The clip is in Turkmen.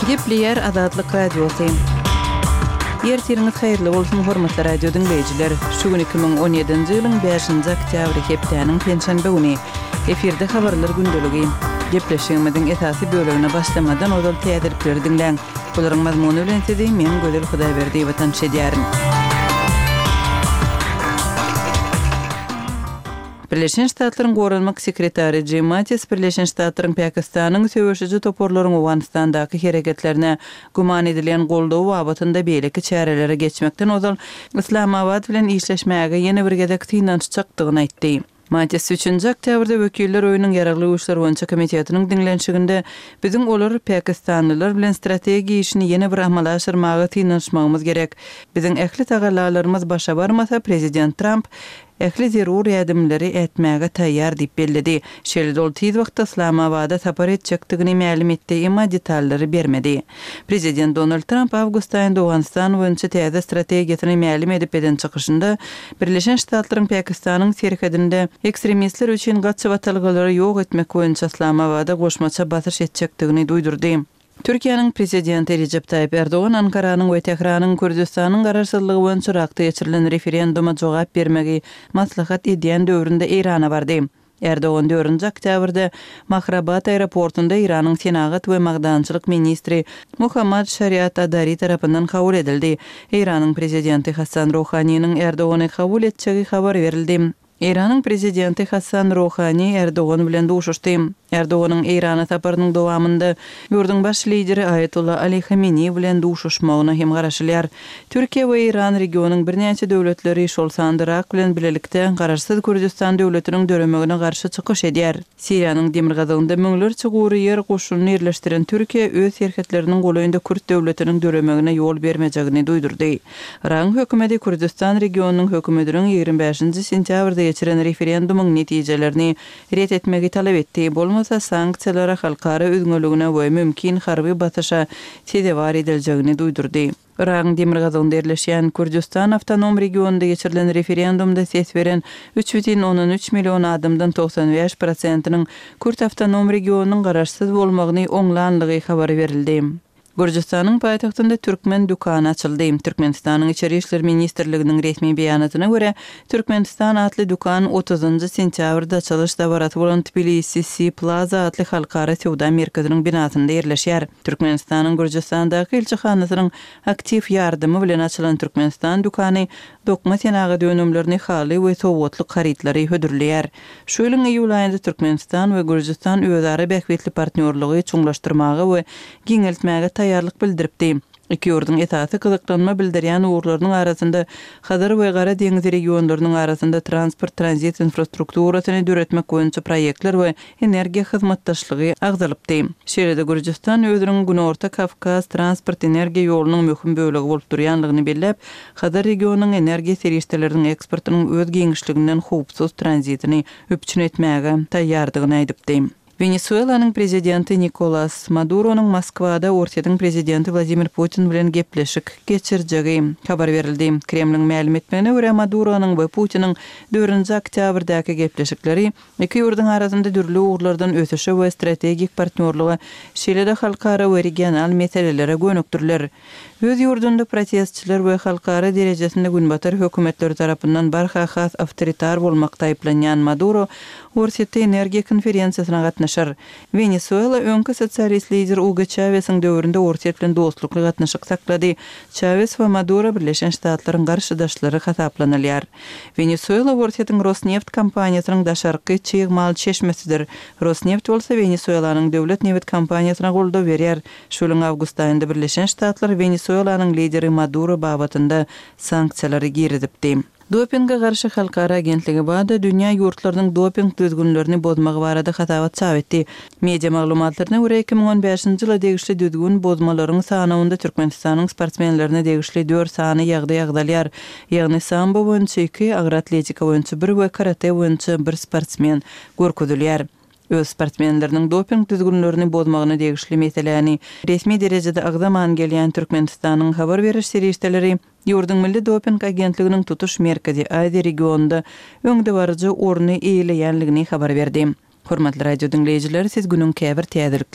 Gepleýär Azatlyk Radiosy. Ertiriňiz haýyrly bolsun, hormatly radio diňleýjiler! Şu gün 2017-nji ýylyň bäşinji oktýabry, hepdäniň penşenbe güni. Efirde habarlar gündeligi. Gepleşigimiziň esasy bölegine başlamadan ozal täzelikleri diňläň. Bularyň mazmuny bilen sizi men Gözel Hudaýberdiýewa tanyş edýärin. Birleşen Ştatlaryň Goranmak sekretary Jim Mattis Birleşen Ştatlaryň Pakistanyň söweşiji toparlaryň Owganystandaky hereketlerine güman edilýän goldawy babatynda beýleki çärelere geçmekden ozal Yslamabat bilen işleşmäge ýene bir gezek synanyşjakdygyny aýtdy. Mattis üçünji oktýabrda Wekiller öýüniň Ýaragly güýçler boýunça komitetiniň diňlenişiginde Biziň olar, pakistanlylar bilen strategiýa işini ýene bir amala aşyrmaga synanyşmagymyz gerek. Biziň ähli tagallalarymyz başa barmasa, prezident Tramp ähli zerur ädimleri ätmäge taýýar diýip belledi. Şeýle-de ol tiz wagtda Yslamabada sapar etjekdigini mälim etdi, emma detallary bermedi. Prezident Donald Tramp awgust aýynda Owganystan boýunça täze strategiýasyny mälim edip eden çykyşynda, Birleşen Ştatlaryň Pakistanyň serhedinde ekstremistler üçin gaçybatalgalary ýok etmek boýunça Yslamabada goşmaça basyş etjekdigini duýdurdy. Türkiýäniň Prezidenti Rejep Taýyp Erdogan Ankaranyň we Tähranyň Kürdüstanyň garaşsyzlygy boýunça Yrakda geçirilen referenduma jogap bermegi maslahat edýän döwründe Eýrana bardy. Erdogan dördünji oktýabrda Mahrabad aeroportunda Eýranyň senagat we magdançylyk ministri Mohammad Şariat Adari tarapyndan kabul edildi. Eýranyň prezidenti Hassan Ruhaniniň Erdogany kabul etjegi habar berildi. Eýranyň prezidenti Hassan Ruhani Erdogan bilen duşuşdy. Erdoganyň Eýrana saparynyň dowamynda ýurduň baş lideri Aýatolla Ali Hameneý bilen duşuşmagyna hem garaşylýar. Türkiýe we Eýran regionyň birnäçe döwletleri, şol sanda Yrak bilen bilelikde garaşsyz Kürdüstan döwletiniň döremegine garşy çykyş edýär. Siriýanyň demirgazygynda müňlerçe gury ýer goşunyny ýerleşdiren Türkiýe öz serhetleriniň golaýynda kürt döwletiniň döremegine ýol bermejegini duýdurdy. Yragyň hökümeti Kürdüstan regionynyň hökümetiniň 25-nji sentýabrda geçiren referendumyň netijelerini ret etmegi talap etdi, bolmasa sanksiýalara, halkara üzňeligine we mümkin harby basyşa sezewar ediljegini duýdurdy. Yragyň demirgazygynda ýerleşýän Kürdüstan awtonom regionynda geçirilen referendumda ses beren 3,3 million adamdan 95 prosentiniň Kürt awtonom regionynyň garaşsyz bolmagyny oňlanlygy habar berildi. Gürjüstanyň paýtagtynda türkmen dükany açyldy. Türkmenistanyň Içeri işler ministrliginiň resmi beýanatyna görä, Türkmenistan atly dükan otuzynjy sentýabrda açylyş dabarasy bolan Tbilisi Si Plaza atly halkara söwda merkeziniň binasynda ýerleşýär. Türkmenistanyň Gürjüstandaky ilçihanasynyň aktiw ýardamy bilen açylan Türkmenistan dükany dokma senagat önümlerini, haly we sowgatlyk harytlary hödürleýär. Şu ýylyň iýul aýynda Türkmenistan we Gürjüstan özara bähbitli partnýorlygy çuňlaşdyrmaga we giňeltmäge taýýarlyk bildiripdi. Iki ýurduň esasy gyzyklanma bildirýän ugurlarynyň arasynda Hazar we Gara deňiz regionlarynyň arasynda transport-tranzit infrastrukturasyny döretmek boýunça proýektler we energiýa hyzmatdaşlygy agzalypdy. Şeýle-de Gürjüstan özüniň Günorta Kawkaz transport-energiýa ýolunyň möhüm bölegi bolup durýanlygyny belläp, Hazar regionynyň energiýa serişdeleriniň eksportynyň öz giňişliginden howpsuz tranzitini üpjün etmäge taýýardygyny aýdypdy. Wenesuelanyň prezidenti Nikolas Maduronyň Moskwada Orsýetiň prezidenti Wladimir Putin bilen gepleşik geçirjegi habar berildi. Kremliň mälim etmegine görä, Maduronyň we Putiniň dördünji oktýabrdaky gepleşikleri Iki ýurduň arasynda dürli ugurlardan ösüşe we strategik partnýorlyga, şeýle-de halkara we regional meselelere gönükdiriler. Öz ýurdunda protestçiler we halkara derejesinde günbatar hökümetleri tarapyndan barha has awtoritar bolmakda aýyplanýan Maduro Orsýetde energiýa konferensiýasyna gatnaşar. Wenesuela öňki sosialist lider Ugo Çawesiň döwründe Orsýet bilen dostlukly gatnaşyk saklady. Çawes we Maduro Birleşen Ştatlaryň garşydaşlary hasaplanylýar. Wenesuela Orsýetiň Rosneft kompaniýasynyň daşarky çig mal çeşmesidir. Rosneft bolsa Wenesuelanyň döwlet nebit kompaniýasyna goldaw berýär. Şu ýylyň awgust aýynda Birleşen Ştatlar Wenesuelanyň lideri Maduro babatynda sanksiýalary girizipdi. Dopinge garşy halkara agentligi WADA dünýä ýurtlarynyň doping düzgünlerini bozmagy barada hasabat çap etdi. Media maglumatlaryna görä, 2015-nji ýyla degişli düzgün bozmalaryň sanawynda Türkmenistanyň sportsmenlerine degişli dört sany ýagdaý agzalýar. Ýagny sambo boýunça iki, agyr atletika boýunça bir we karate boýunça bir sportsmen görkezilýär. Öz sportsmenleriniň doping düzgünlerini bozmagyna degişli meseläni resmi derejede agzaman gelýän Türkmenistanyň habar beriş serişdeleri ýurduň Milli doping agentliginiň tutuş Merkezi Aziýa regionynda öňdebaryjy orny eýeleýänligini habar berdi. Hormatly radio diňleýjiler, siz günüň käbir täzelikleri.